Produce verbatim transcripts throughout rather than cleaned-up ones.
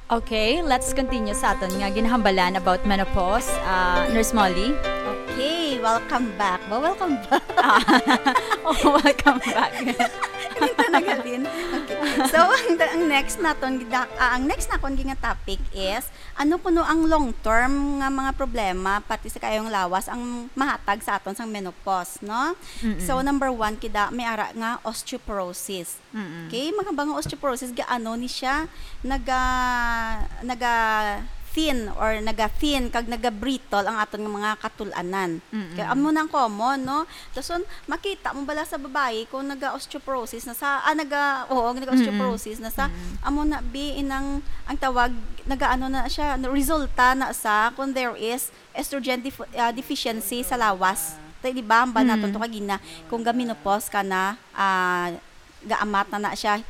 Okay, let's continue sa aton nga ginahambalan about menopause. Ah, Nurse Molly? Okay, welcome back. Ba, welcome back. Ah, oh, welcome back. Hindi na nagalin. Okay. So, ang, ang next naton, gida-, ah, ang next naton nga topic is, ano kuno ang long-term nga mga problema, pati sa kayong lawas, ang mahatag sa aton sang menopause, no? Mm-mm. So, number one, kida, may ara nga osteoporosis. Mm-mm. Okay, mga bang osteoporosis, gaano ni siya naga, naga thin or naga thin kag naga brittle ang aton nga mga katul-anan. Mm-mm. Kaya amo na ang common, no? Dason, makita mo bala sa babayi kung naga osteoporosis na sa, ah, naga, oo, naga osteoporosis na sa, Mm-mm. amo na bi inang, ang tawag, naga ano na siya, resulta na sa kung there is estrogen def-, ah, deficiency sa lawas. Tay, di ba, ang ba naton Mm. to kagina, kung ga-menopause ka na, ah, gaamat na na siya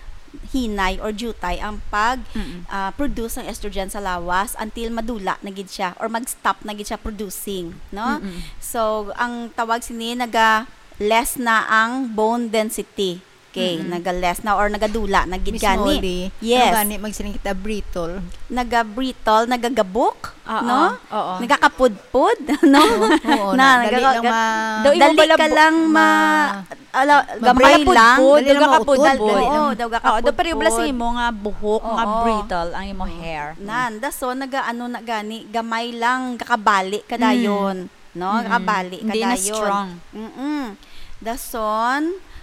hinay or jutay ang pag, Mm-mm. ah, produce ng estrogen sa lawas until madula na gid siya or mag-stop na gid siya producing, no? Mm-mm. So, ang tawag sini, naga less na ang bone density. Okay, Mm-mm. naga less na or nagadula na gid Miss gani. Molly, Yes. ano gani magsiling kita, brittle? Naga-brittle, nagagabok, Oo, no? oo. Nagakapudpod, no? Oo, oo, Na, na, dali nagaga-, lang ma-, Daw imo dali bala ka bu-, lang ma-, ma-, ala, ma-break. gamay lang. Dali lang Daw mautod, gakapudpod. dali Oo, lang. daw Oo, daw pareho bala sa gakapudpod. imo nga buhok, nga Oo. brittle ang imo hair. Nan, dason, nagaano na gani, gamay lang, kakabali ka Mm. dayon, no? Mm-mm. Kakabali ka Hindi na dayon. strong. Mm-mm. Dason,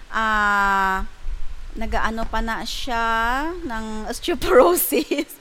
ah, nagaano pa na siya ng osteoporosis.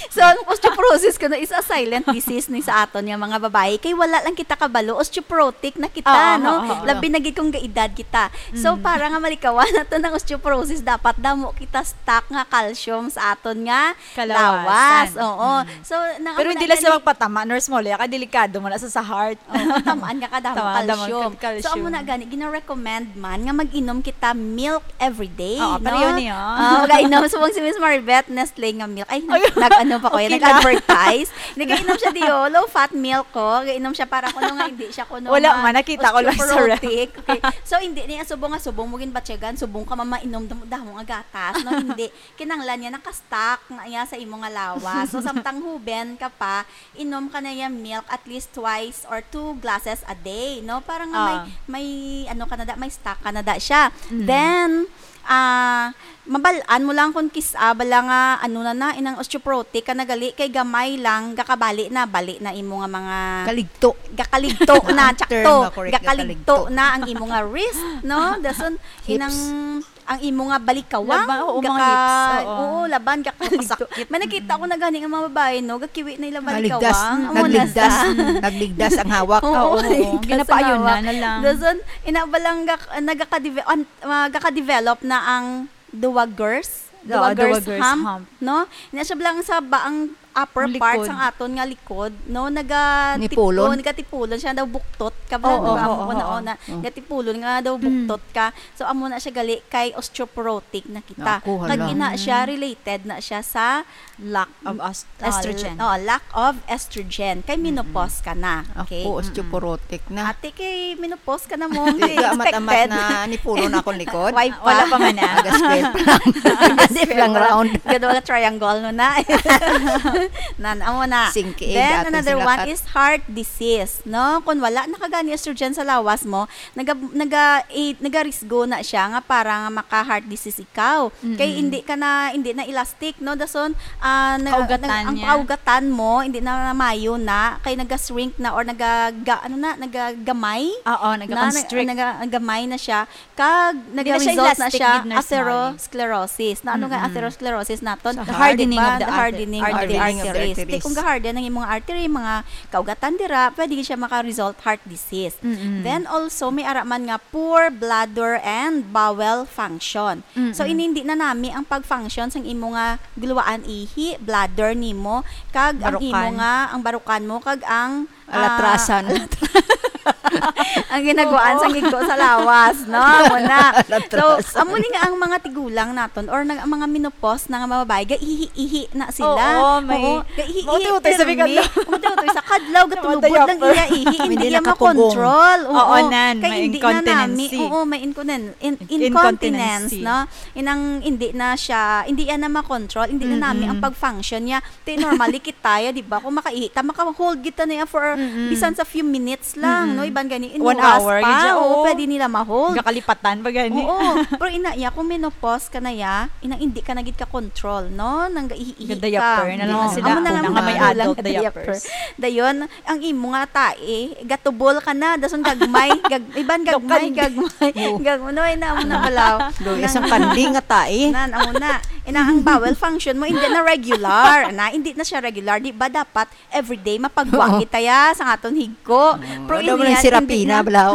So, ang osteoporosis kuno is a silent disease ni sa aton nga mga babayi. Kay wala lang kita kabalo, osteoporotic na kita, Oo, no? oo, oo. Labi na gid kung gaedad kita. So, Mm. para nga malikawan nato ng osteoporosis, dapat damo kita stock nga calcium sa aton nga Kalawasan. lawas. Oo. Mm. So, nang Pero amo hindi na lang sila gani magpatama, Nurse Molly, kay delikado man na sa, sa heart. Oo, tamaan nga kadamo Tamaan, tamaan calcium. kag calcium. So, amo na gani, gina-recommend man nga mag-inom kita milk every day, Oo, no? pareho niyo. Ah, mag-inom. Subong si Miss Maribeth, Nestle nga milk. Ay, Ay, nag-, ano pa ko yan? okay lang. Nag-advertise. Nag-inom siya diyo, low fat milk ko. Nag-inom siya para kuno nga hindi siya kuno Wala ma-, man, nakita ko lang sa ref. osteoporotic. Okay. So, hindi niya subong nga subong mo ginbatyagan, subong ka mamainom damo, damo nga gatas, no? Hindi. Kinahanglan niya naka-stock na iya sa imo nga lawas. So, samtang huben ka pa, inom ka na iya milk at least twice or two glasses a day, no? Para nga may, Ah. may, ano ka na da, may stock ka na da siya. Mm. Then, ah, mabal-an mo lang kung kis-, ah, bala nga, ano na na, inang osteoporotic ka na gali, kay gamay lang, gakabali na, bali na imo nga mga Kaligto. Gakaligto na, Ang term tsakto. nga correct, Gakaligto gakaligto. na ang imo nga wrist, no? Dason, Hips. inang ang imo nga balikawang, Laban, oo, mga gaka-, hips, oo. oo, laban, gakaligto. Masakit. May nakita ko na gani nga mga babae, no, gakiwi na ila Naligdas, balikawang. Amo na naligdas, sa nagligdas ang hawak. Oo, Oo, oo. naligdas ang Ginapaayunan hawak. na lang. Dason, ina ba lang gak-, nagakadive-, an-, ah, gakadevelop na ang duwagers, Oo, duwagers duwagers hump, hump. no? Ina siya lang sa ba ang upper Ang part likod. sang aton nga likod, no? Naga Nipulon? tipo-, nagatipulon siya, daw buktot ka ba? Oo, Ano ba oo, mo na, oo. na, Mm. gatipulon nga daw Mm. buktot ka. So, amo na siya gali kay osteoporotic na kita. Naku, Kag hala. ina siya, Mm. related na siya sa Lack of os-, ah, estrogen. oh, lack of estrogen. Kay Mm-mm. menopause ka na. Ako, Okay? Mm-mm. osteoporotic na. Ate, kay menopause ka na mo. Hindi ka amat-amat Expected. na nipulon akong likod. Why Wala pa? pa man na. Aga square pa lang. Aga Hindi square lang pa lang. round. Gado nga triangle no na. Nan, amo na. Singki, Then, dati another sila one kat- is heart disease, no? Kung wala na ka gani estrogen sa lawas mo, naga-, naga-, eh, nagarisgo na siya nga para nga maka-heart disease ikaw. Kay Mm-mm. hindi ka na, hindi na elastic, no? Dason, ah, na, Kaugatan nag-, ang niya. kaugatan mo, hindi na mayo na, kay naga-shrink na or nagaga-, ano na, nagagamay Oo, na, nag-, nagaconstrict. naga-, nagamay na siya. Kag Hindi na siya nag-result na elastic siya gid, Nurse Molly. atherosclerosis. Na ano nga Mm-mm. atherosclerosis naton? Sa The hardening Diba? of the The arter-, hardening of the arteries. Hardening of the arteries. Di arteries. kung ga-harden ang imong artery, mga kaugatan dira, pwede gid siya maka-result heart disease. Mm-mm. Then also, may ara man nga poor bladder and bowel function. So, Mm-mm. inindi na nami ang pag-function sang imo nga guluwaan ihi, bladder nimo, kag ang imo Barukan. nga, ang barukan mo, kag ang, ah, Alatrasan. alatra-, Ang ginagwaan Oo. sa ngigko sa lawas, no? Amo na. So, Natras. amo ni nga ang mga tigulang naton or nag-, ang mga menopause na nga mga babae, gaihi-ihi na sila. Oo, may Oo, gaihi-ihi, utoy-utoy sa pirmi. Bigla. Utoy-utoy sa kadlaw, Sa mga gatulubod lang diaper. iya ihi, hindi Hindi niya nakapugong. makontrol. Oo, Oo, nan, kay may hindi na nami. incontinency. Oo, may inconen-, in-, incontinence, Incontinency. no? Inang hindi na siya, hindi yan na makontrol, hindi na nami ang Mm-mm. pag-function niya. Ti, normally kita, ya, di ba? Kung makaihi ta, maka-hold kita na yan for Mm-mm. bisan sa few minutes lang, Mm-mm. no? Iban gani, One inuras hour, pa, yun siya, oo, oo. pwede nila ma-hold. Gakalipatan pa gani. Oo. Pero ina, ya, kung menopause ka na, ya, inang hindi ka na gid ka-control, no? Nang gaihi-ihi ka. Ga-diaper na lang Oo. sila. Amo na nga Una mga nga may magulang adult nga diaper. diapers. Dayon, ang imo nga tae, gatubol ka na, dason gagmay, gag-, iban gagmay, Tukad. gagmay, Oo. gag-, ano, ay na, amo na balaw. Do, Nang isang kandi nga tae. Nan, amo na. Ina, ang bowel function mo, hindi na regular. Na, hindi na siya regular. Di ba dapat everyday mapagwa Oo. kita ya sa aton higko? Oo, Pero ano hindi mo nang yan, hindi sirapina, na. balaw?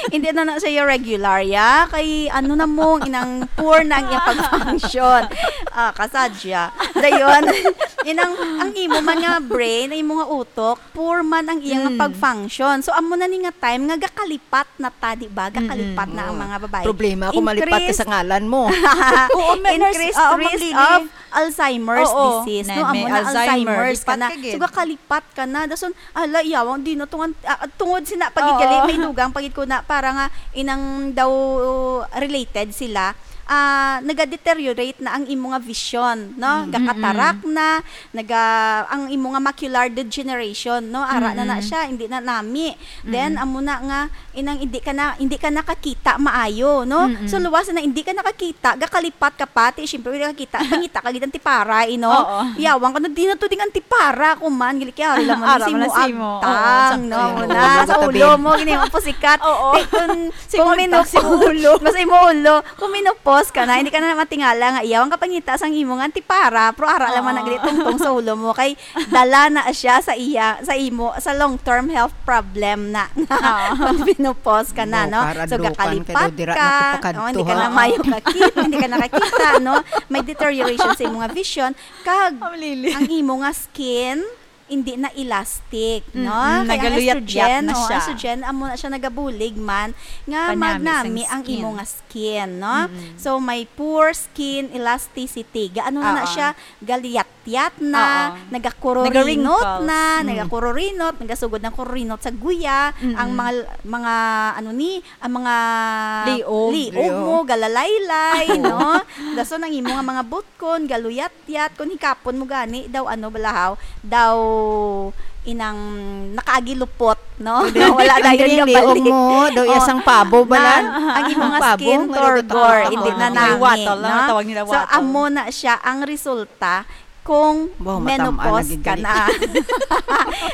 Hindi na na siya regular ya. Kay ano na mo, inang poor na ang iyang pag-function. Ah, kasadya. Dayon, inang, ang imo man nga brain, ang imo nga utok, poor man ang iya nga Mm. pag-function. So, amo na ni nga time nga gakalipat na ta, di ba? Gakalipat Mm. na ang Oo. mga babae. Problema ako, malipat ka Increase sa ngalan mo. Oo, may nurse, Increased oo, Ma'am risk Lily. of Alzheimer's Oo. disease, Nan, no? may Amo na, Alzheimer, Alzheimer's ka lipat na. ka gid. So, gakalipat ka na. Dason, ala, iyawang, di na tungan, ah, tungod sina, pagid Oo. gali, may dugang, pagid ko na, para nga, inang daw related sila, ah, nagadeteriorate na ang imo nga vision, no? Mm. Gakatarak Mm-mm. na, naga-, ang imo nga macular degeneration, no? Ara na na Mm-mm. siya, hindi na nami. Then, Mm-mm. amo na nga, inang hindi ka na, hindi ka nakakita maayo, no? Mm-mm. So, luwas na hindi ka nakakita, gakalipat ka pati, syempre, hindi ka kakita, pangita ka gid ang tipara, eh, no? Oo. Yawang ka na, di na to ding ang tipara, kuman, gili kay ari lang man Ara sa man imo na sa imo. Oo, agtang, sakto no? yun. Amo na, Ulo sa ka, ulo Tin. mo, gini mo pusikat. Oo. Ti, kung, Sa imo kung agtang, mino-, sa imo ulo. Mas imo ulo. Kung menopause ka na, hindi ka na matingala nga iyaw ang kapangita sang imo nga antipara, pero ara lang man Oo. nagli tungtong sa ulo mo, kay dala na siya sa iya, sa imo, sa long-term health problem na. Oo. Pag menopause ka na, No, no? para So, dukan gakalipat ka daw, dira ka, na ko pakadto, oh, hindi ka ha? na mayo kakit-, hindi ka nakakita, no? May deterioration sa imo nga vision, kag Ma'am Lily. ang imo nga skin, hindi na elastic, no? Mm-mm, Kaya ang nagaluyat-yat estrogen, na oh, siya. estrogen, amo na siya nagabulig man, nga Panami sang magnami ang skin. imo nga skin, no? Mm-mm. So, may poor skin elasticity. Gaano na na Oo. siya? Galiyat-yat na, Oo. nagakururinot Naga-wrinkles. na, Mm. nagakururinot, nagasugod ng kururinot sa guya, Mm-mm. ang mga, mga, ano ni, ang mga Liog. liog Liog. mo, galalaylay, Oo. no? Dason ang imo nga mga butkon, galuyat-yat, kung hikapon mo gani, daw ano, balahaw, daw inang nakaagi lupot, no? Hindi, Wala hindi, dayon hindi, kabalik. liog mo, daw Oh, isang pabo bala. nan, ang imo nga Pabo, skin nga turgor, luto-luto. hindi na May nami, watol, no? ano tawag nila, So, watol? amo na siya ang resulta kung Wow, matam-an menopause lagi ka gali. na.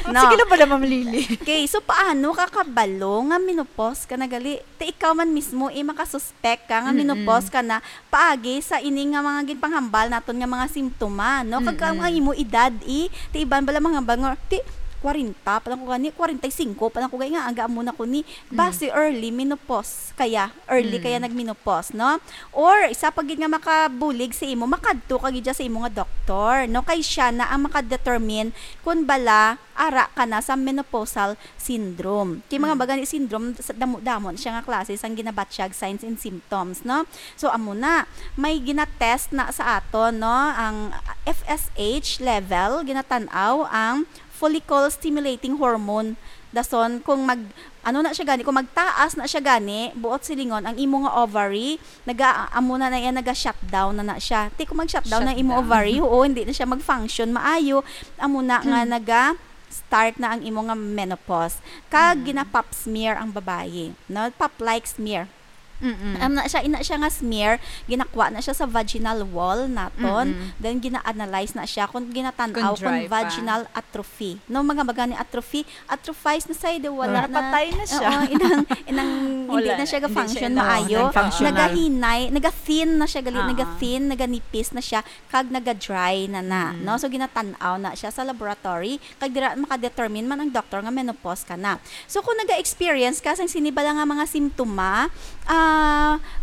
No? Sige lang pala, Ma'am Lily. Okay, so paano ka kabalo nga menopause ka na gali? Ti ikaw man mismo, eh, makasuspek ka nga Mm-mm. menopause ka na paagi sa ini nga mga ginpanghambal naton nga mga simptoma, no? Kag ang Mm-mm. imo edad, eh, ti iban bala manghambal nga, ti, kwarenta pa lang ko gani, kwarenta y singko pa lang ko gani nga, aga amo na ko ni, Mm. basi early menopause kaya, early Mm. kaya nagmenopause, no? Or, isa pa gid nga makabulig sa imo, makadto ka gid dyan sa imo nga doktor, no? Kay siya na ang makadetermine kung bala, ara ka na sa menopausal syndrome. Kay mga Mm. bagani syndrome, sa damo-damo na siya nga klase sang ginabatyag signs and symptoms, no? So, amo na, may ginatest na sa aton, no? Ang F S H level, ginatan-aw ang follicle stimulating hormone. Dason, kung mag, ano na siya gani, kung magtaas na siya gani, buot silingon, ang imo nga ovary, naga, amo na na yan, naga-shutdown na na siya. Ti, kung mag-shutdown na imo Shutdown. ovary, oo, hindi na siya mag-function maayo, amo na nga Hmm. naga-start na ang imo nga menopause. Kag Mm. gina-pap smear ang babayi, no? Pap-like smear. Mm-mm. Amo na siya, ina siya nga smear, ginakwa na siya sa vaginal wall naton, Mm-mm. then gina-analyze na siya kung ginatan-aw Kung kung dry pa. vaginal atrophy. No, mga baga ni atrophy, atrophies na siya, di wala Ah. na. Napatay na siya. Oo, inang, inang hindi Wala na na, siya hindi ga-function siya na maayo. functional. Nagahinay, naga-thin na siya, gali, Ah. naga-thin, naganipis na siya, kag naga-dry na na, Mm. no? So, ginatan-aw na siya sa laboratory, kag dira makadetermine man ang doktor nga menopause ka na. So, kung naga-experience ka sang sini bala nga mga simptoma, ah,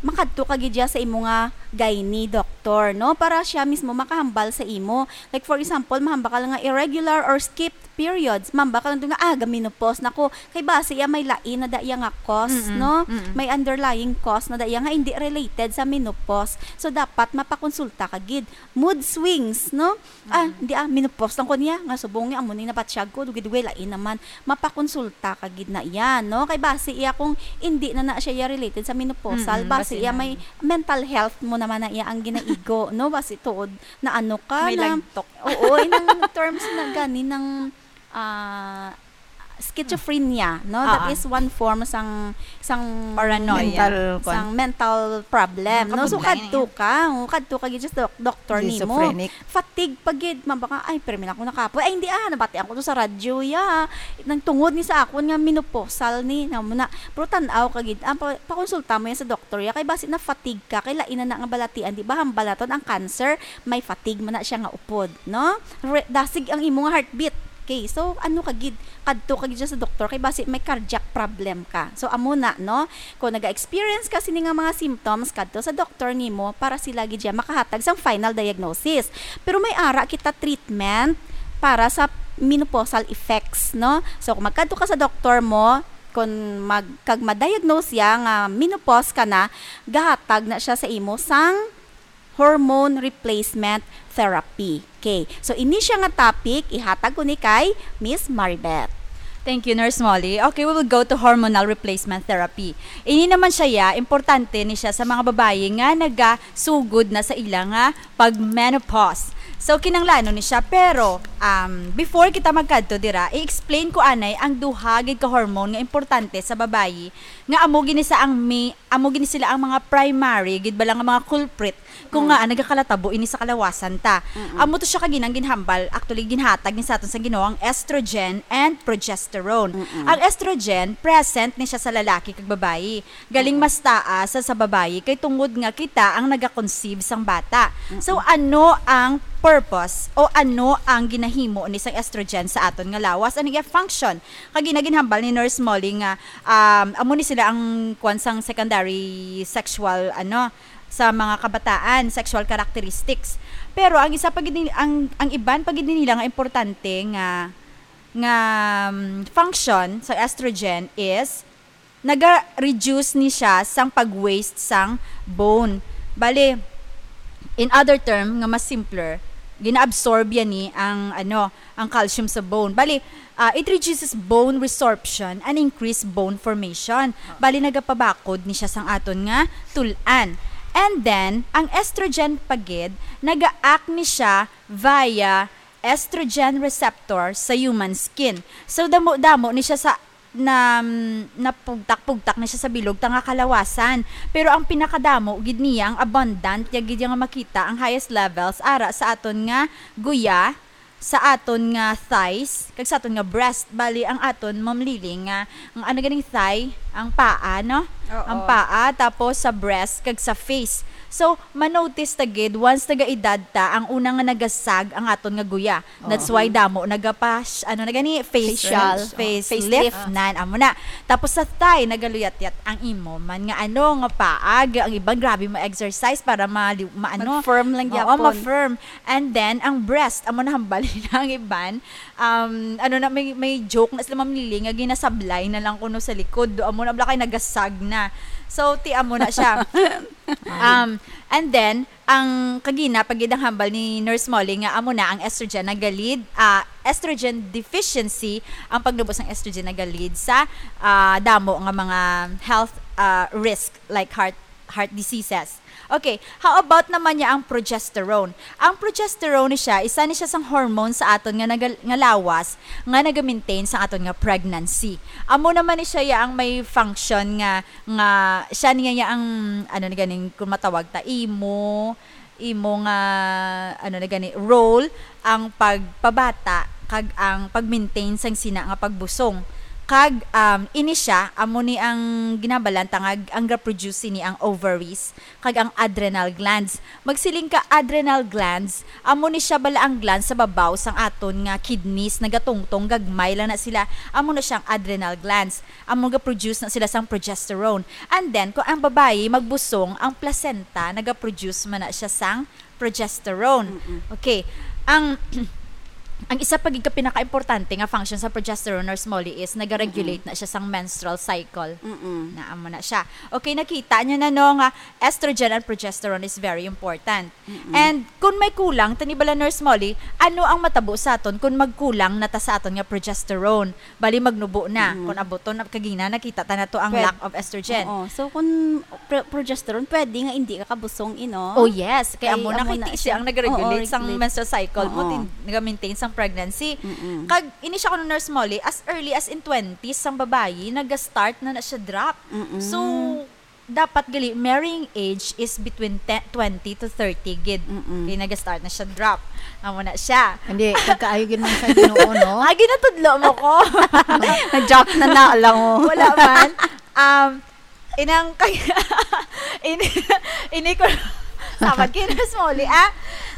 makadto ka gid dya sa imo nga gynae doctor, no? Para siya mismo makahambal sa imo. Like, for example, mahambal ka lang nga irregular or skipped periods. Mahambal ka lang nga, "Ah, ga-menopause na ko." Kay basi iya may lain na da iya nga cause, Mm-mm. no? Mm-mm. May underlying cause na da iya nga hindi related sa menopause. So, dapat mapakonsulta ka gid. Mood swings, no? Ah, Mm. hindi ah, menopause lang ko niya. Nga subong niya, amo ni nabatyag ko. Dugay-dugay, lain naman. Mapakonsulta ka gid na iya, no? Kay basi iya kung hindi na na siya iya related sa menopausal, Mm-mm, basi basi iya na. may mental health mo naman na iya ang ginaigo, no? Basi tuod na ano ka May na, lagtok. oo, inang terms na gani ng, ah, schizophrenia, no? That Ah, ah. is one form sang, sang Paranoia. Mental, kwan. sang mental problem, no? So, Nakabudlay na kadto yan. ka, oh, kadto ka gid sa doc-, doktor nimo. Schizophrenic. Fatigue pa gid, ma'am, baka, "Ay, pero may ako nakapoy. Ay, hindi, ah, nabatian ko to sa radyo, ya. Nang tungod ni sa akon nga menopausal ni, na mo na." Pero tan-aw ka gid, ah, pa-, pakonsulta mo yan sa doktor, ya. Kay basi na fatigue ka, kay lain na na nga balatian, di ba? Hambal naton ang cancer, may fatigue man na siya nga upod, no? Re-, dasig ang imo nga heartbeat. Okay, so ano ka gid? Kadto ka gid siya sa doktor kay basi may cardiac problem ka. So amo na, no? Kung naga-experience ka sini nga mga symptoms, kadto sa doktor nimo para sila gid siya makahatag sang final diagnosis. Pero may ara kita treatment para sa menopausal effects, no? So kung magkadto ka sa doktor mo, kung mag-, kag ma-diagnose siya nga menopause ka na, gahatag na siya sa imo sang hormone replacement therapy. Okay. So, ini siya nga topic, ihatag ko ni kay Miss Maribeth. Thank you, Nurse Molly. Okay, we will go to hormonal replacement therapy. Ini naman siya, ya, importante ni siya sa mga babayi nga nagasugod na sa ila nga pag-menopause. So, kinahanglanon ni siya. Pero, um, before kita magkadto dira, i-explain ko anay ang duha gid ka hormone nga importante sa babayi nga amo gini sa ang mi-, amo gini sila ang mga primary gid bala nga mga culprit kung Mm. nga nagakalatabo ini sa kalawasan ta. Mm-mm. Amo to siya kaginang ginhambal, actually ginhatag ni sa aton sa Ginoo ang estrogen and progesterone. Mm-mm. Ang estrogen present ni siya sa lalaki kag babayi. Galing Mm-mm. mas taas sa, sa babayi kay tungod nga kita ang nagaconceive sang bata. So Mm-mm. ano ang purpose o ano ang ginahimo ni sang estrogen sa aton nga lawas? Ano iya function? Kag ginaginhambal ni Nurse Molly nga, um, amo ni sila ang kwan sang secondary sexual, ano, sa mga kabataan, sexual characteristics. Pero ang isa pa gid ni-, ang, ang iban pa gid nila nga importante nga, nga, um, function sa estrogen is naga-reduce ni siya sang pag-waste sang bone. Bali, in other term, nga mas simpler, gina-absorb yan ni ang, ano, ang calcium sa bone. Bali, ah, it reduces bone resorption and increase bone formation. Bali, nagapabakod ni siya sang aton nga tul-an. And then, ang estrogen pa gid, naga-act ni siya via estrogen receptor sa human skin. So, damo-damo ni siya sa na, napugtak-pugtak na siya sa bilog ta nga kalawasan. Pero ang pinakadamo gid niya, ang abundant niya gid nga makita, ang highest levels ara sa aton nga guya, sa aton nga thighs, kag sa aton nga breast. Bali, ang aton, Ma'am Lily, nga, ang ano ganing thigh, ang paa, no? Oo. Ang paa, tapos sa breast, kag sa face. So, manotice ta gid, once nagaedad ta, ang una nga nagasag ang aton nga guya. That's Oo. why damo nagapa-, ano na gani, face, Facial. face Facelift. lift, nan, amo na. Tapos sa thigh, nagaluyat-yat ang imo man nga ano, nga paag, ang iban grabe mo exercise para ma-, ma-, ano. Mag-firm lang Oo, gyapon. ma-firm. And then, ang breast, amo na hambal na ang iban. Um, ano na, may, may joke na sila, Ma'am Lily, nga ginasablay na lang kuno sa likod. Do, amo na, bala kay nagasag na. So, ti, amo na siya. Um, and then, ang kagina, pag gid ang hambal ni Nurse Molly nga amo na ang estrogen nagalead, ah, estrogen deficiency, ang pagnubo sang estrogen nagalead sa, ah, damo nga mga health, ah, risk like heart, heart diseases. Okay, how about naman niya ang progesterone? Ang progesterone ni siya, isa ni siya sang hormone sa aton nga nagal-, nga lawas nga naga-maintain sa aton nga pregnancy. Amo naman ni siya ya ang may function nga nga siya niya ya ang, ano na ganing, kung matawag ta, imo, imo nga, ano na gani, role ang pagpabata kag ang pag-maintain sang sina nga pagbusong. Kag, um, ini siya, amo ni ang ginabalanta nga ang ga-produce sini ang ovaries kag ang adrenal glands. Magsiling ka adrenal glands, amo ni siya bala ang glands sa babaw sang aton nga kidneys, nagatungtong, gagmay lang na sila. Amo na siya ang adrenal glands. Amo ga-produce na sila sang progesterone. And then, kung ang babayi magbusong, ang placenta naga-produce man na siya sang progesterone. Mm-mm. Okay. Ang, ang isa pa gid ka pinakaimportante nga function sa progesterone, Nurse Molly, is nagaregulate Mm-mm. na siya sang menstrual cycle. Mm-mm. Na amo na siya. Okay, nakita niyo na, no, nga estrogen and progesterone is very important. Mm-mm. And kung may kulang, tani bala, Nurse Molly, ano ang matabo sa aton kung magkulang na ta sa aton nga progesterone? Bali, magnubo na. Mm. Kung abuton na, kagina, nakita ta na to ang Pwed-, lack of estrogen. Oo. So, kung pro-, progesterone, pwede nga hindi ka kabusong, ino? Oh, yes. Kay Kay amo na amo kay na ti-, siya. siya ang nag-regulate Oo, sang regulate. menstrual cycle mo, Oo. tin-, nag-maintain sang pregnancy. Mm-mm. Kag, ini siya kuno, Nurse Molly, as early as in twenties sang babayi, nag-start na na siya drop. Mm-mm. So, dapat gali, marrying age is between te-, twenty to thirty gid. Mm-mm. Kay nag-start na siya drop. Amo na siya. Hindi, pagkaayo gid man sa Ginoo, no? Ah, ginatudlo mo ko. Na-joke na na, alam mo. Wala man. Um, inang kay-, ini, ini ko, samad kay Nurse Molly, ah.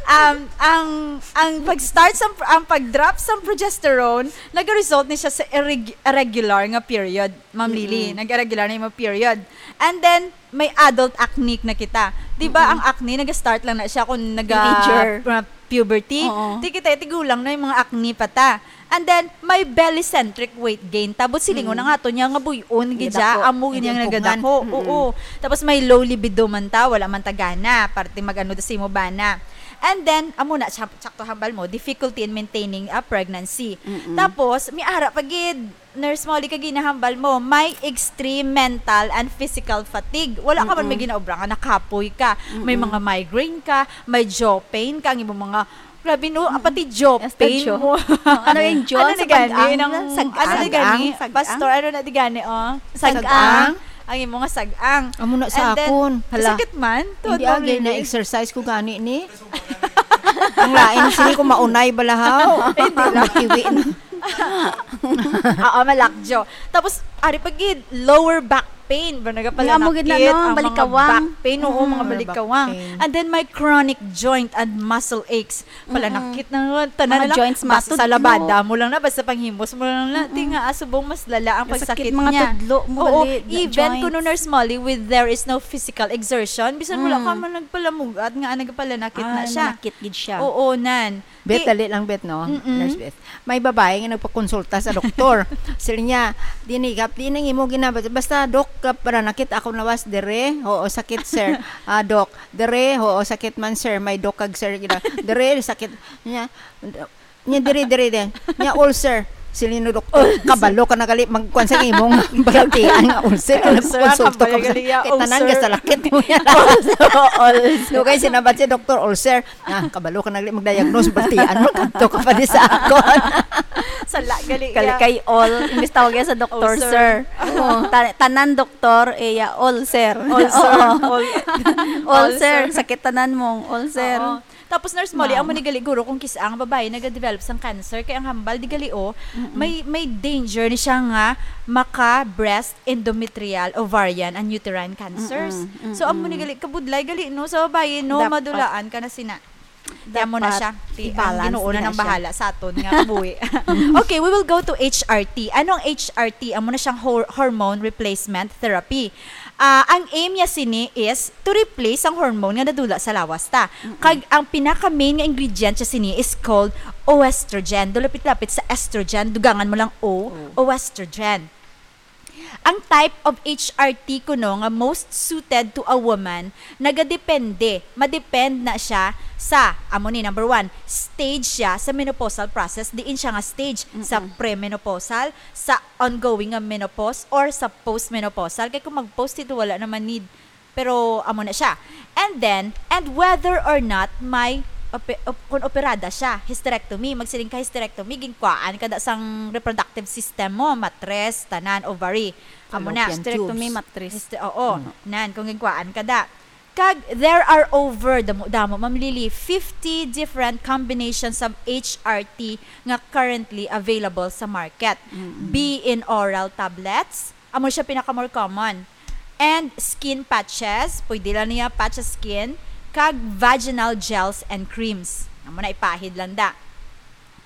Um, ang, ang pag-start sa, ang pag-drop sa progesterone, nag-result ni siya sa irreg-, irregular nga period, Ma'am Lily. Mm-mm. Nag-irregular na yung period. And then, may adult acne na kita. Di ba, Mm-mm. ang acne, nag-start lang na siya kung naga-, Teenager. uh, puberty. Oo. Ti kita, tigulang na yung mga acne pa ta. And then, may belly-centric weight gain. Tapos, silingon Mm. na nga to niya nga buy-on, Nagadako. gidya, amo Hindi niya ang pugngan. nagadako. Mm-mm. Oo. Tapos, may low libido man ta, wala man ta gana. Parte mag-ano da sa imo bana. And then, amo na, sak-, sakto hambal mo, difficulty in maintaining a pregnancy. Mm-mm. Tapos, may ara pa gid, Nurse Molly, kay ginahambal mo, may extreme mental and physical fatigue. Wala ka man may Mm-mm. ginaobra nga nakapoy ka. May Mm-mm. mga migraine ka, may jaw pain ka, ang imong mga, grabe no, Mm-mm. pati jaw Hasta pain jaw. mo. Ano yung jaw? Ano Sa na gani? pag-ang? Nang, Sag-ang. ano na gani? Sag-ang? Pastor, ano na di gani, oh? Sag-ang. Sag-ang. Ang imong nga sag-ang. Amo na sa And then, akon. Hala. Sakit man? Tuod Hindi, mo, agay, Lily? na-exercise ko gani ni. Ang lain, sini ko maunay balahaw. Hindi lang. Matiwi na. Oo, malakjo. Tapos, ari pa gid, lower back pain. Ba, nagapala Nga mo gid na, nakit, no? ang mga Balikawang. back pain, oo, Mm-mm. mga Lower back balikawang. pain. And then, may chronic joint and muscle aches. Pala Mm-mm. nakit na nga, tanan Mga na lang. joints Basta matudlo. sa labada mo lang na, basta panghimos mo lang na. Ti Mm-mm. nga, ah, subong mas lala ang Sakit pagsakit mga niya. tudlo mo Oo, gali, even joints. kuno, Nurse Molly, with there is no physical exertion, bisan wala ka Mm. man nagpalamug-at nga, ah, nagpalanakit na Ah, siya. manakit gid siya. Oo, nan. Bet, Ti- dali lang, Bet, no? Mm-mm. Nurse Bet. May babae nga nagpakonsulta sa doktor. Sila niya, "Di ni, kap-, di nang imo ginaba-, basta, Dok, kap-, para nakit ako lawas, dire, oo, sakit, sir. Ah, Dok, dire, oo, sakit man, sir. May Dok kag sir, gina-, dire, sakit." Niya, niya, dire, dire, dire. Niya, ulcer. Sila ni doktor, Ulcer. "Kabalo ka na gali, magkuan sa imong balatian nga ulcer." Ulcer, Nagpakonsulta kabalo ka sa gali, ya, sakit, tanan ulcer. ka sa lakit mo yan. Ulcer, ulcer. So, kay sinabat si Doktor Ulcer, Ah, kabalo ka na gali mag-diagnose, baltian mo, kadto ka pa di sa akon. Sala gali Kali iya. kay all, imbis tawag iya sa doktor, Ulcer. sir. Oo. Ta-, tanan doktor, iya, all, sir. All, sir. Oo. All, All, all, sir. sir. Sakit tanan mong, all, sir. Oo. Tapos, Nurse Molly, Ma'am. amo ni gali, guro, kung kis-a ang babae nagadevelop sang cancer, kay ang hambal, di gali, oh, Mm-mm. may, may danger ni siya nga maka-breast, endometrial, ovarian, and uterine cancer. Mm-mm. So, amo ni Mm-mm. gali, kabudlay gali, no, sa babae, no, Dapat. madulaan ka na sina. Ti amo na Dapat siya. Ti, ang i-balance Ginoo na nila nang siya. bahala sa aton nga kabuhi. Okay, we will go to H R T. Anong H R T? Amo na siyang hor-, hormone replacement therapy. Ah, ang aim niya sini is to replace ang hormone nga nadula sa lawas ta. Mm-mm. Kag ang pinaka-main nga ingredient siya sini is called oestrogen. Dulapit-lapit sa estrogen, dugangan mo lang O, O. oestrogen. Ang type of H R T kuno nga most suited to a woman, nagadepende, madepend na siya sa, amo ni, number one, stage siya sa menopausal process, diin siya nga stage, sa Mm-mm. premenopausal, sa ongoing nga menopause, or sa postmenopausal. Kay kung mag-post ito, wala naman need. Pero amo na siya. And then, and whether or not may ope-, op-, kung operada siya, hysterectomy, magsiling ka hysterectomy, ginkuhaan ka da sang reproductive system mo, matres, tanan, ovary. Amo na. Fallopian Hysterectomy, tubes. matris. Hyste-, oo, Mm. nan, kung ginkuhaan ka da. Kag there are over, damo-damo, Ma'am Lily, fifty different combinations of H R T nga currently available sa market. Mm-mm. Be in oral tablets, amo siya pinaka more common. And skin patches, pwede lang niya patch sa skin, kag vaginal gels and creams. Amo na, ipahid lang da.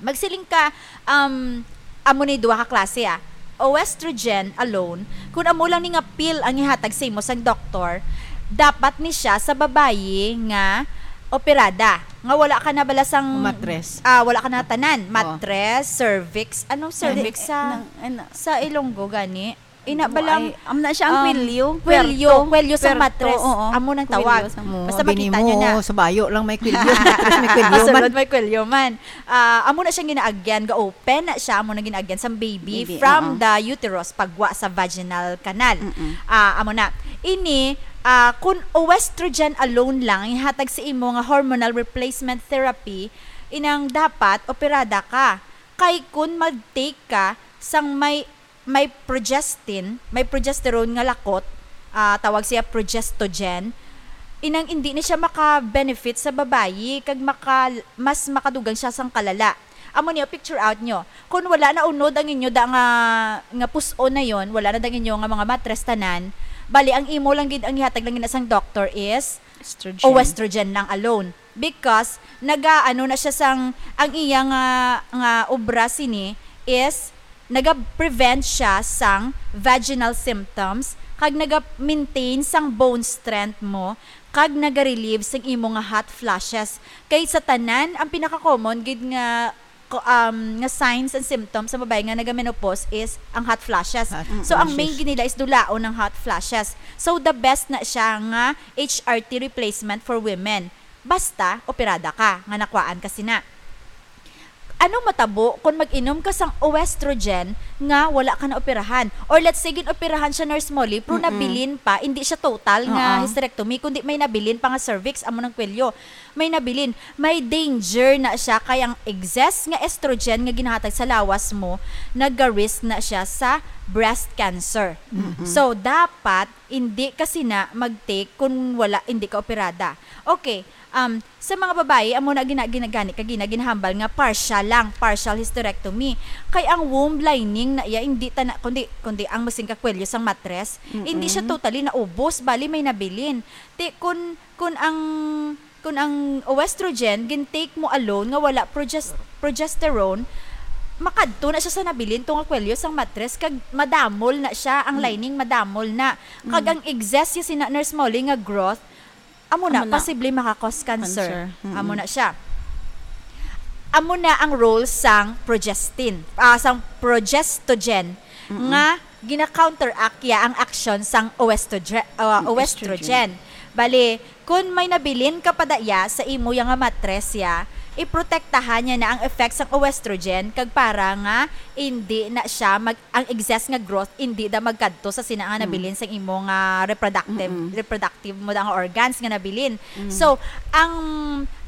Magsiling ka, um, amo ni duha ka klase, ah. Oestrogen alone, kung amo lang ni nga pill ang ihatag sa imo sang doktor, dapat ni siya sa babayi nga operada, nga wala ka na bala sang Matres. Ah, wala ka na tanan. Oo. Matres, cervix. Anong cervix Hindi, sa, nang, ano, sa Ilonggo gani? Ina Amo bala, ay, amo na siya ang um, kwelyo. Kwelyo, Puerto. Kwelyo sa Puerto, matres. Oo. Amo nang Kwelyo tawag. Sa Basta Bini makita mo, nyo na. Sa bayo lang may kwelyo. Sa matres may kwelyo man. Sa sulod may kwelyo man. Ah, amo na siyang ginaagyan, ga-open na siya, amo na ginaagyan sa baby Baby, from oo. the uterus, pagwa sa vaginal canal. Mm-mm. Ah, amo na. Ini, ah, kun oestrogen alone lang ihatag sa imo nga hormonal replacement therapy, inang dapat operada ka. Kay kun mag-take ka sang may may progestin, may progesterone nga lakot, ah, tawag siya progestogen, inang indi ni siya maka-benefit sa babayi, kag maka-, mas makadugang siya sang kalala. Amo niyo, picture out nyo. Kung wala na unod ang inyo da nga, nga pus-on na yon, wala na dang inyo nga mga matres tanan, bali, ang imo lang gid, ang ihatag lang gid na sang doctor is Estrogen. Oestrogen lang alone. Because, naga, ano na siya sang, ang iya nga, nga obra sini is, naga-prevent siya sang vaginal symptoms, kag naga-maintain sang bone strength mo, kag naga-relieve sang imo nga hot flashes. Kay sa tanan, ang pinaka-common gid nga ko-, um, nga signs and symptoms sa babae nga naga-menopause is ang hot flashes. Hot So, ang main flashes. gid nila is dulaon ang hot flashes. So, the best na siya nga H R T replacement for women. Basta, operada ka, nga nakwaan ka sina. Ano matabo kung mag-inom ka sang oestrogen nga wala ka na operahan? Or let's say, gin-operahan siya, Nurse Molly, pero Mm-mm. nabilin pa, hindi siya total nga Oo. hysterectomy, kundi may nabilin pa nga cervix, amo nang kwelyo. May nabilin, may danger na siya, kay ang excess nga estrogen nga ginahatag sa lawas mo, naga-risk na siya sa breast cancer. Mm-mm. So, dapat hindi ka sina mag-take kung wala, hindi ka operada. Okay, um, sa mga babayi, amo na gina-, ginagani ka gina-, ginahambal nga partial lang, partial hysterectomy. Kay ang womb lining na iya, hindi ta na, kundi, kundi ang masing kakwelyo sang matres, hindi siya Mm-mm. totally naubos, bali may nabilin. Ti, kun, kun ang, kun ang oestrogen, gin-take mo alone nga wala proges-, progesterone, makadto na siya sa nabilin tungod kwelyo sang matres, kag madamol na siya, ang Mm. lining madamol na. Kag Mm. ang excess, yung sina Nurse Molly nga growth, amo na, Amo na. posible maka-cause cancer. Cancer. Mm-mm. Amo na siya. Amo na ang role sang progestin, ah, sang progestogen, Mm-mm. nga gina-counteract ya ang aksyon sang oestrogen, uh, Ang oestrogen. estrogen. Bali, kun may nabilin ka pa daya sa imo ya nga matres ya, iprotektahan niya na ang effects sang oestrogen kag para nga hindi na siya mag-, ang excess nga growth hindi da magkadto sa sina nga Mm. nabilin sang imo nga reproductive, Mm-mm. reproductive mo da nga organs nga nabilin. Mm. So, ang,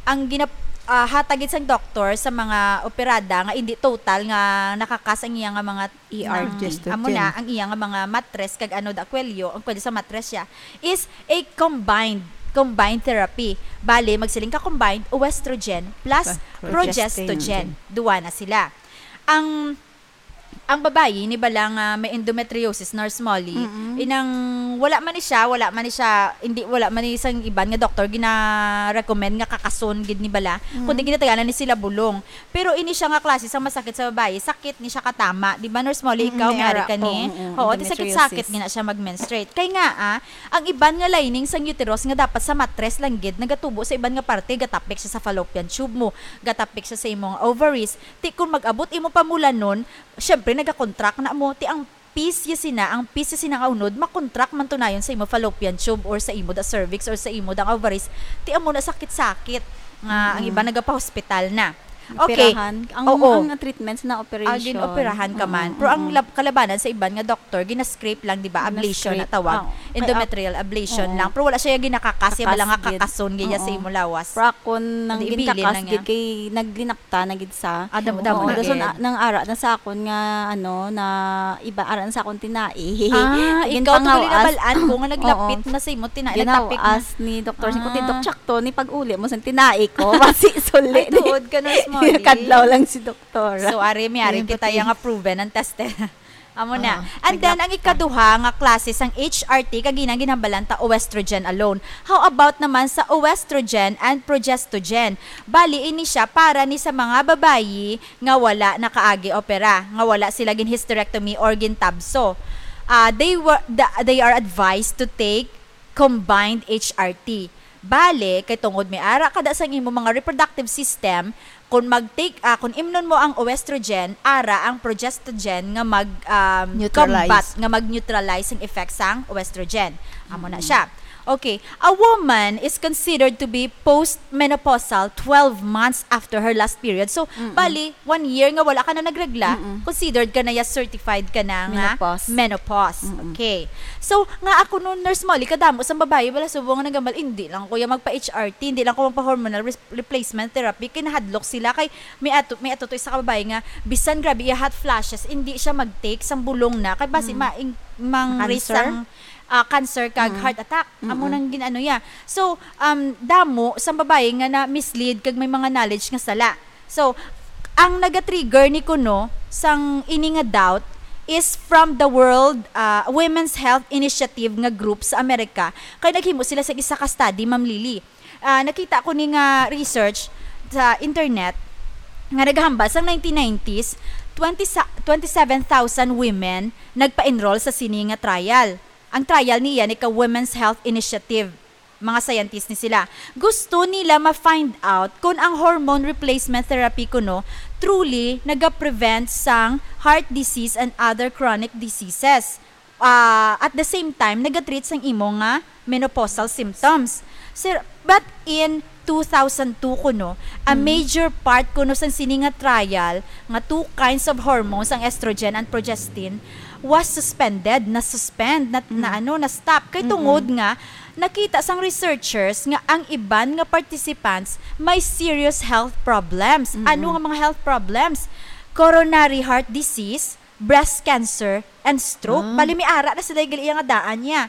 ang ginap-, ah, hatag gid sang doktor sa mga operada nga hindi total nga nakakas ang iya nga mga E R T. Progestogen. Amo na ang iya nga mga matres kag ano da kwelyo, ang kwelyo sa matres siya is a combined, combined therapy. Bali, magsiling ka combined, oestrogen plus Plus progestogen. progestogen. Duwa na sila. Ang, ang babayi ni bala nga may endometriosis, Nurse Molly, Mm-mm. inang wala man ni siya, wala man ni siya, hindi, wala man ni sang iban nga doktor gina-recommend nga kakason gid ni bala, Mm. kundi ginataganan ni sila bulong. Pero ini siya nga klase sang masakit sa babayi, sakit ni siya katama. Di ba, Nurse Molly, Mm, ikaw may may ari ara ka ko. ni? Mm, Oo, ti sakit-sakit endometriosis. gina siya mag-menstruate. Kay nga, ah, ang iban nga lining sang uterus nga dapat sa matres lang gid, nagatubo sa iban nga parte, gatapik siya sa fallopian tube mo, gatapik siya sa imong ovaries. Ti kung mag-abot imo pamulanon, syempre, nagakontract na mo. Ti ang pis ya sina, ang pis ya sina nga unod, makontract man tunayon sa imo fallopian tube or sa imo da cervix or sa imo da ovaries. Ti amo na sakit-sakit nga ang Mm. iban nagapahospital na. Okay. Operahan. Ang, Oo. ang treatments na Ah, operation. Ginoperahan ka man. Mm, Pero ang mm. lab- kalabanan sa iban nga doktor, gina-scrape lang, di ba? Ablation na Gina-scrape. tawag. Ah, okay. Endometrial ablation Oo. lang. Pero wala siya ginakakas, ya bala nga Kakas gid. kakason gid ya sa Oo. imo lawas. Pero ako nang Hindi, ginkakas ibilin lang gid niya. Kay naglinakta na gid sa. Ah, damo-damo Oo, na dason gid. na- nang ara na sa akon nga ano na iba ara na sa akon tinai. Ah, ikaw to gali Ginpangawas. nabalaan ko nga naglapit Oo. na sa imo tinai, naglapit na. Ginawas ni doktor, si Kuti, Ah. "Dok, tsakto ni pag-uli mo sa tinai ko." Basi suli. Ay, tuod ka, Nurse Molly. Kadlaw lang si doktor. So, ari, may ari Ayun, kita pati. Yang nga proven ang test. Amo na. Oo, And then, naglap- ang ikaduha nga klase sang H R T, kagina ginhambalan ta oestrogen alone. How about naman sa oestrogen and progestogen? Bali, ini siya para ni sa mga babayi nga wala nakaagi opera, nga wala sila gin hysterectomy or gin tabso. Ah, they were the, they are advised to take combined H R T. Bale, kay tungod may ara kada sang imo mga reproductive system, kung mag-take, ah, kung imnon mo ang oestrogen, ara ang progestogen nga mag, um, Neutralize. combat, nga mag-neutralize ang effect sang oestrogen. Amo na siya. Okay, a woman is considered to be postmenopausal twelve months after her last period. So, bali, one year nga wala ka na nagregla, considered ka na ya, certified ka na nga Menopause. menopause. Okay. So, nga ako no, Nurse Molly, kadamo sang babayi, wala subong nga nagambal, "Hindi lang ko ya magpa-H R T, hindi lang ko magpa-hormonal re- replacement therapy." Kay nahadlok sila, kay may ato, may ato to isa ka babayi nga, bisan grabe iya hot flashes, hindi siya mag-take sang bulong na, kay basi ma-, ing-, mang-raise Cancer? sang, ah, cancer kag heart attack. Amo nang gin-ano ya. So, um, damo sang babayi nga na-mislead kag may mga knowledge nga sala. So, ang naga-trigger ni kuno sang ini nga doubt is from the World, ah, Women's Health Initiative nga group sa Amerika, kay naghimo sila sa isa ka study, Ma'am Lily. Ah, nakita ko ni nga research sa internet nga nagahambal sang nineteen nineties, twenty sa, twenty-seven thousand women nagpa-enroll sa sini nga trial. Ang trial niya ni ka Women's Health Initiative, mga scientist ni sila. Gusto nila ma-find out kung ang hormone replacement therapy kuno truly naga-prevent sang heart disease and other chronic diseases. Ah, at the same time, naga-treat sang imo nga menopausal symptoms. Sir, but in two thousand two kuno, a major part kuno sang sini nga trial nga two kinds of hormones, ang estrogen and progestin, was suspended, na-suspend, na, na ano, na-stop. Kay tungod nga, nakita sang researchers nga ang iban nga participants may serious health problems. Ano nga mga health problems? Coronary heart disease, breast cancer, and stroke. Bali, may ara na sila gali iya nga daan niya.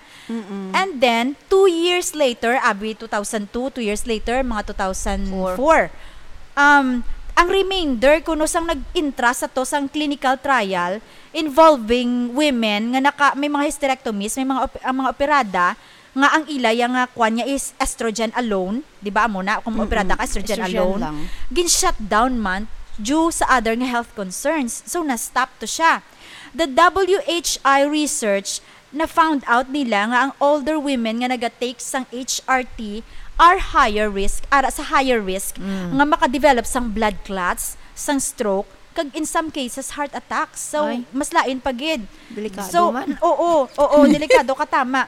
And then, two years later, abi two thousand two, two years later, mga two thousand four, um, ang remainder kuno sang nag-intra sa to sang clinical trial involving women nga naka, may mga hysterectomies, may mga op-, ang mga operada, nga ang ila ya nga kwan niya is estrogen alone, di ba, amo na, kung operada ka, estrogen, Estrogen alone, lang. Gin-shut down man due sa other nga health concerns. So, na-stop to siya. The W H I research, na-found out nila nga ang older women nga naga-take sang H R T are higher risk, ara sa higher risk, nga makadevelop sang blood clots, sang stroke, kag in some cases, heart attacks. So, Ay. Mas lain pa gid. Delikado So, man. Oo, oo, delikado ka, tama.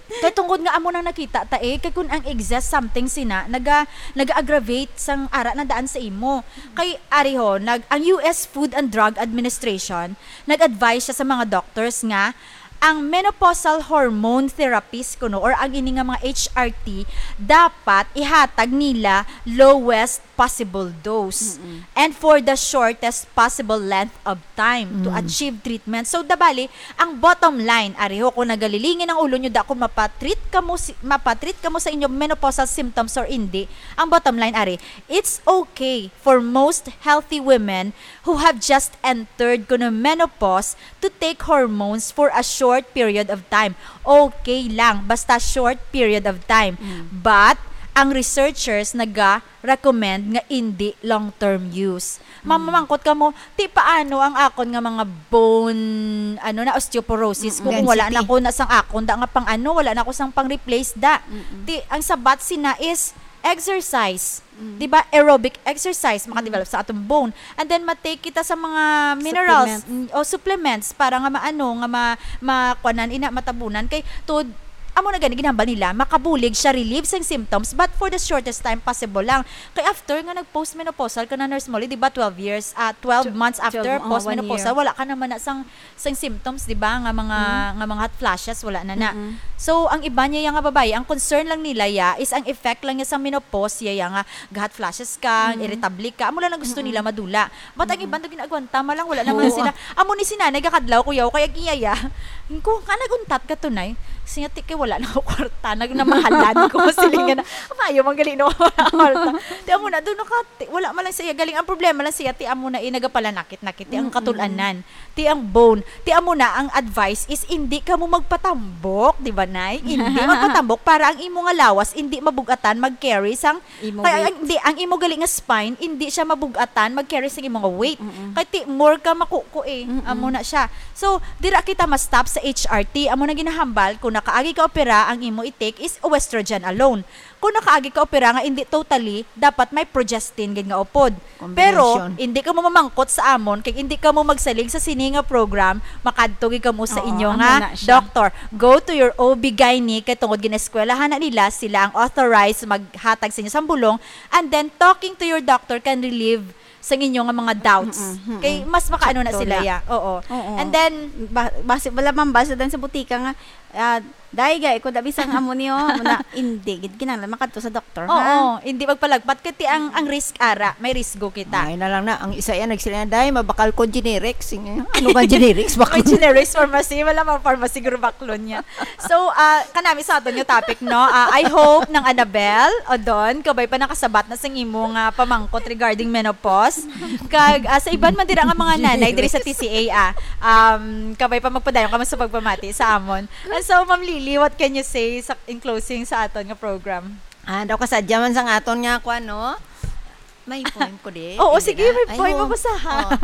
Kay tungod nga amo nang nakita ta eh, kay kun ang excess something sina, naga, naga-aggravate sang ara na daan sa imo. Kay ari ho, nag, ang U S Food and Drug Administration, nag-advise siya sa mga doctors nga ang menopausal hormone therapies kuno or ang ini nga mga H R T dapat ihatag nila lowest possible dose and for the shortest possible length of time to achieve treatment. So, dabali, ang bottom line, ari ho, kung nagalilingin ang ulo nyo, da kung mapatreat kamo si, mapatreat kamo sa inyong menopausal symptoms or hindi, ang bottom line, ari, it's okay for most healthy women who have just entered kuno menopause to take hormones for a short period of time. Okay lang, basta short period of time. But, ang researchers naga-recommend nga hindi long-term use. Mamamangkot ka mo, "Ti, paano ang akon nga mga bone, ano na, osteoporosis ko kung wala na Density. Ko na sang akon da nga pang ano, wala na ko sang pang-replace da?" Ti, ang sabat sina is exercise. Di ba? Aerobic exercise, makadevelop sa atong bone. And then, matake kita sa mga minerals Supplements. mm, o supplements para nga maano, nga ma, makuanan, ina, matabunan. Kay, to, Amo na gani ginhambal nila, makabulig siya relieve sang symptoms, but for the shortest time possible lang. Kay after nga nag-postmenopausal ka na, Nurse Molly, di ba, twelve years, ah, twelve Tw-, months after twelve, oh, one postmenopausal, year. Wala ka naman na sang, sang symptoms, di ba, nga mga, Mm. nga mga hot flashes, wala na na. Mm-mm. So, ang iba niya nga babayi, ang concern lang nila, ya, is ang effect lang niya sa menopause, ya, ya nga ga-hot flashes ka, Mm. irritable ka, amo lang ang gusto Mm-mm. nila madula. But ang Mm-mm. iban daw gin-agwanta, malang wala naman Oo. sila. Amo ni si nanay gakadlaw, kuyaw, kay ang iya, ya. Ko, ka naguntat ka tunay. Siya, ti, kay wala na ko kwarta, nag-, namahalan ko. Siling nga na, "Maayo man gali, no, wala kwarta." Ti, amo na, doon naka-, ti, wala man lang siya. Galing, ang problema lang siya, ti, amo na, eh, nagapalanakit-nakit, ti, ang Mm-mm. katulanan, ti, ang bone. Ti, amo na, ang advice is, hindi ka mo magpatambok, di ba, Nay? Hindi magpatambok para ang imo nga lawas, hindi mabugatan, mag-carry sang Imo Kaya weight. ang, di, ang imo gali nga spine, hindi siya mabugatan, mag-carry sing imo nga weight. Mm-mm. Kay ti, more ka makuko eh. Mm-mm. Amo na siya. So, dira kita ma-stop sa H R T. Amo na ginahambal, kung nakaagi ka opera, ang imo i-take is oestrogen alone. Kung nakaagi ka opera nga hindi totally, dapat may progestin gid nga upod. Pero, Combination. hindi ka mo mamangkot sa amon, kay hindi ka mo magsalig sa sini nga program, makadto gid ka mo sa Oo, inyo amo nga na siya. doctor. Go to your O B gynae, kay tungod ginaeskwelahan na nila, sila ang authorized maghatag sa inyo sang bulong, and then talking to your doctor can relieve sa inyo nga mga doubts. Mm-mm, mm-mm. Kay mas makaano na Sakto sila, na. ya. Oo. Oo. And then, Ba-, basi, wala man basa dan sa butika nga, ah, "Day, gay, kung dabi sang amo niyo, amo na, hindi, gid kinahanglan makadto sa doktor, Oo, ha?" hindi magpalagpat. Kay ti ang, ang risk ara, may risgo kita. Ay na lang na. Ang isa yan, nagsiling na, "Day, mabakal ko generic." Sige, ano ba generics? May Bakal. generics pharmacy, wala mang pharmacy, guro baklon niya. So, ah, kanami sa aton nga topic, no? Ah, I hope nang Annabel, o Don, kabay pa nakasabat na sing imo nga pamangkot regarding menopause. Kag, ah, sa iban man dira nga mga nanay diri sa T C A, ah, um, kabay pa magpadayon ka man sa pagpamati sa amon. And so, Ma'am Lily, what can you say sa, in closing sa aton nga program? Ah, daw kasadya man sang aton nga kwan, no? May poem ko di. Oo, Hindi sige, na. may Ay, poem, oo. Mabasaha. Oh.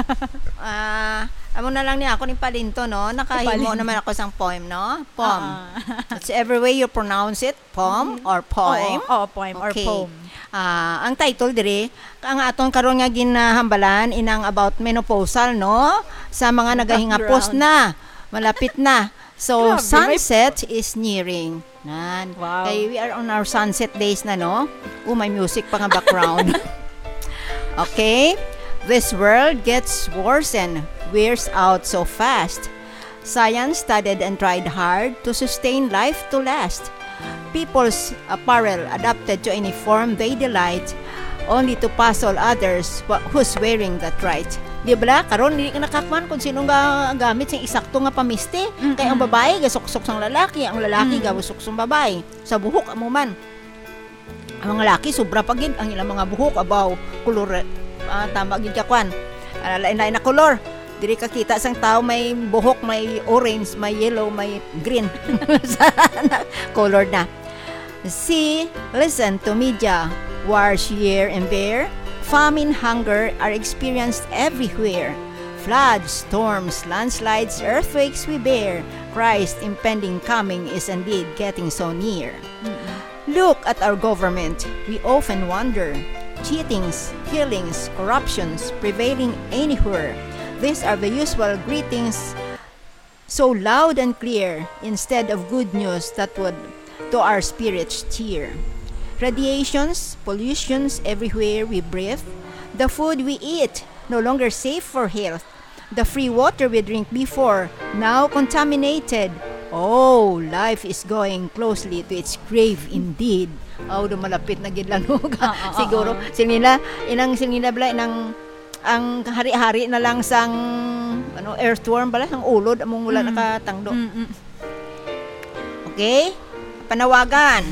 Ah, amo na lang ni ako ni Palinto, no? Nakahimo Palinto. naman ako sang poem, no? Poem. Ah. It's every way you pronounce it, poem Mm-hmm. or poem. Oo, oo, poem or Okay. poem. Ah, ang title diri, ang aton karon nga ginahambalan, inang about menopausal, no? Sa mga nagahingapos Background. na, malapit na. So, Grabe, may sunset is nearing. Nan. Wow. Kay we are on our sunset days na, no? Oh, may music pa nga background. Okay. This world gets worse and wears out so fast. Science studied and tried hard to sustain life to last. People's apparel adapted to any form they delight, only to puzzle others wha-, who's wearing that right. Di ba? Karon, di ka nakakuan kung sino nga gamit sing eksakto nga pamisti. Mm-mm. Kay ang babae, gasuksok sang lalaki, ang lalaki, Mm. gasuksok sang babae. Sa buhok, amo man. Ang mga laki, sobra pa gid ang ilang mga buhok, abaw, kulor, ah, tama gid ka, kwan. Ah, lain-lain na kulor. Diri ka kita sang tao may buhok, may orange, may yellow, may green. Sa na, color na. See, listen to media, wars, year and bear, famine, hunger are experienced everywhere. Floods, storms, landslides, earthquakes we bear. Christ impending coming is indeed getting so near. Mm-mm. Look at our government. We often wonder. Cheatings, killings, corruptions prevailing anywhere. These are the usual greetings, so loud and clear, instead of good news that would to our spirits cheer. Radiations, pollutions everywhere we breathe. The food we eat, no longer safe for health. The free water we drink before, now contaminated. Oh, life is going closely to its grave indeed. Aw, do malapit na gid lang, no? Ah, ah, Siguro, ah, ah. sila, inang sila bala, inang ang hari-hari na lang sang, ano, earthworm bala, sang ulod, among wala Mm. nakatangdo. Mm, mm. Okay? Panawagan.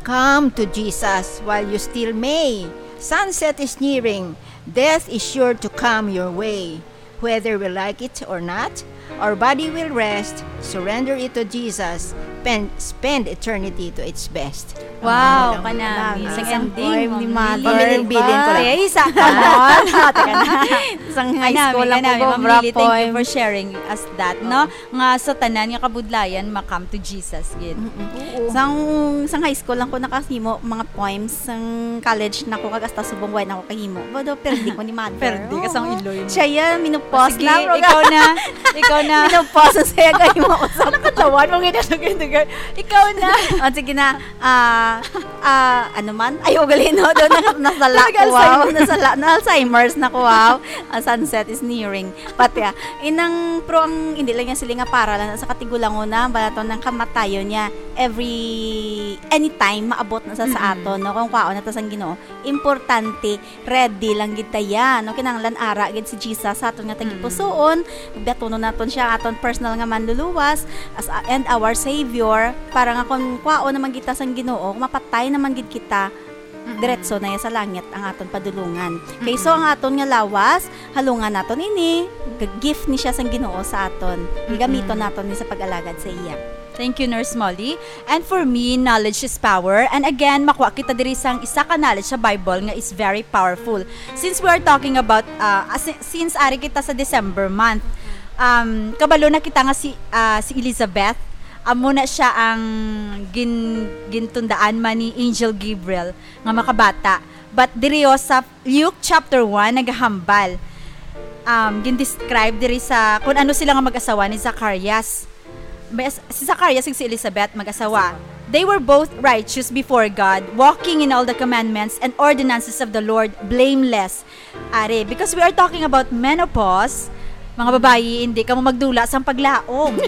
Come to Jesus while you still may. Sunset is nearing. Death is sure to come your way. Whether we like it or not, our body will rest. Surrender it to Jesus. Pen-, spend eternity to its best. Wow, Ang kanami. kanami. Sa Isang ending, poem ni Ma'am Mother. Lily. Pamilin-bilin ko lang. Ay, isa. Come on. Teka na. Isang high Kanami, school lang kanami, ko, Ma'am Cobra Lily, thank you poem. for sharing us that, no? Nga sa tanan nga kabudlayan, ma-come to Jesus, gid. Mm-mm. Sang, sang high school lang ko nakahimo mga poems, sang college na ko, kag hasta subong wala na ko kahimo. Bodo, perdi ko ni Mother. Perdi ka sang iloy. Siya yan, minupos Sige, na. Bro, ikaw na. Ikaw na. Minupos na siya, kahimo ko sa Nakatawan mo gid ang ginagawa. Ikaw na. Ah, sige na. Ah, ah, ano man? Ay, ugali, no? Doon na, nasala ko, wow. Nasala, na Alzheimer's na ko, wow. Ah, sunset is nearing. But yeah, inang pro ang hindi lang niya sila nga para lang sa katigulangon na, balaton ng kamatayon niya every, anytime maabot na sa, sa aton, no? Kung kwaon na ta sang Ginoo, importante, ready lang gid ta yan, no? Kinahanglan ara gid si Jesus sa aton nga tagipusoon, biyatunon naton siya aton personal nga manluluwas as, and our Savior, para nga kung kwaon naman kita sang Ginoo, mapatay naman gid kita, diretso na ya sa langit ang aton padulungan. Kay so ang aton nga lawas, halungan naton ini, g-, gift ni siya sang Ginoo sa aton. Gamiton naton ni sa pag-alagad sa iya. Thank you, Nurse Molly. And for me, knowledge is power. And again, makuha kita diri sang isa ka knowledge sa Bible nga is very powerful. Since we are talking about, uh, as-, since ari kita sa December month, um, kabalo na kita nga si, uh, si Elizabeth, amo na siya ang gin-, gintundaan man ni Angel Gabriel nga makabata. But diri, oh, sa Luke chapter one, nagahambal. Um, gin-describe diri sa kung ano sila nga mag-asawa ni Zacarias. May as-, si Zacarias ug si Elizabeth mag-asawa. They were both righteous before God, walking in all the commandments and ordinances of the Lord, blameless. Ari, because we are talking about menopause, mga babayi, hindi kamo magdula sang paglaom.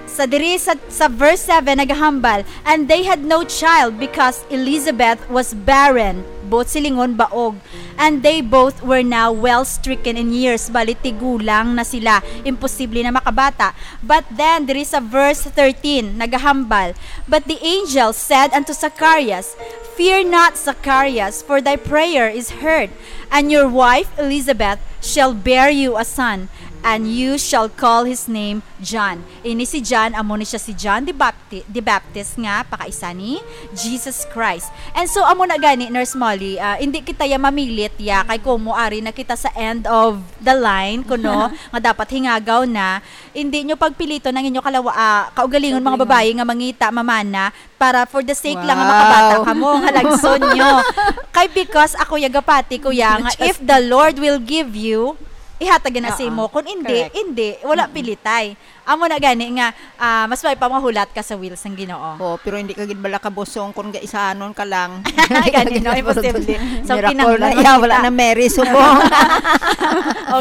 Sa diri sa, sa verse seven nagahambal, "And they had no child because Elizabeth was barren," both silingon baog, "and they both were now well stricken in years," bali tigulang na sila, imposible na makabata. But then diri sa verse thirteen nagahambal, "But the angel said unto Zacharias, Fear not, Zacharias, for thy prayer is heard, and your wife Elizabeth shall bear you a son, and you shall call his name John." Ini si John, amo ni siya si John the Bapti-, the Baptist nga pakaisa ni Jesus Christ. And so, amo na gani, Nurse Molly, ah, hindi kita ya mamilit ya, kay kumo ari na kita sa end of the line, kuno, nga dapat hingagaw na. Hindi nyo pagpiliton ang inyo kalawa, ah, kaugalingon, mga babayi nga mangita, mamana, para for the sake lang nga makabata kamo, nga lagson nyo. Kay because ako ya gapati ko ya, nga if the Lord will give you, ihatag na sa imo. Kung hindi, hindi, wala pilitay. Amo na gani nga, ah, mas may pa mahulat ka sa will sang Ginoo. Oh, pero hindi ka gid bala kabusong kung gaisanon ka lang. Gani, no, imposible. So, Miracle na kinahanglan iya, wala makita. Na Mary subong.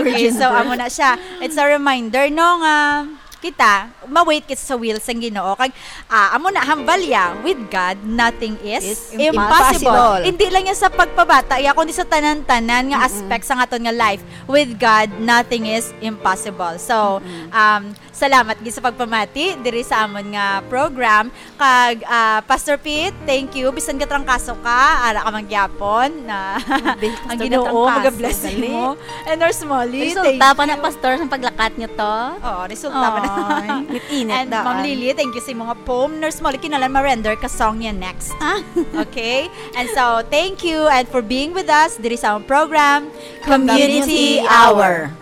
Okay, so amo na siya. It's a reminder, no, nga kita, ma-wait kita sa will sang Ginoo. Kag, ah, amo na, hambal ya, with God, nothing is, Is impossible. impossible. Hindi lang yan sa pagpabata, ya, kundi sa tanan-tanan nga aspect sa aton nga life. With God, nothing is impossible. So, um, salamat gid sa pagpamati diri sa amon nga program. Kag, ah, Pastor Pete, thank you. Bisan gatrangkaso ka, ara ka man gyapon na ang Ginoo mag-bless mo. And Nurse Molly, Resulta pa na, Pastor, sa paglakat niyo to? Oo, resulta pa na. Ay, init-init. And Ma'am Lily, thank you sa mga poem. Nurse Molly, kinahanglan ma-render ka song niya next. Ah. Okay? And so, thank you and for being with us diri sa among program, Community Hour.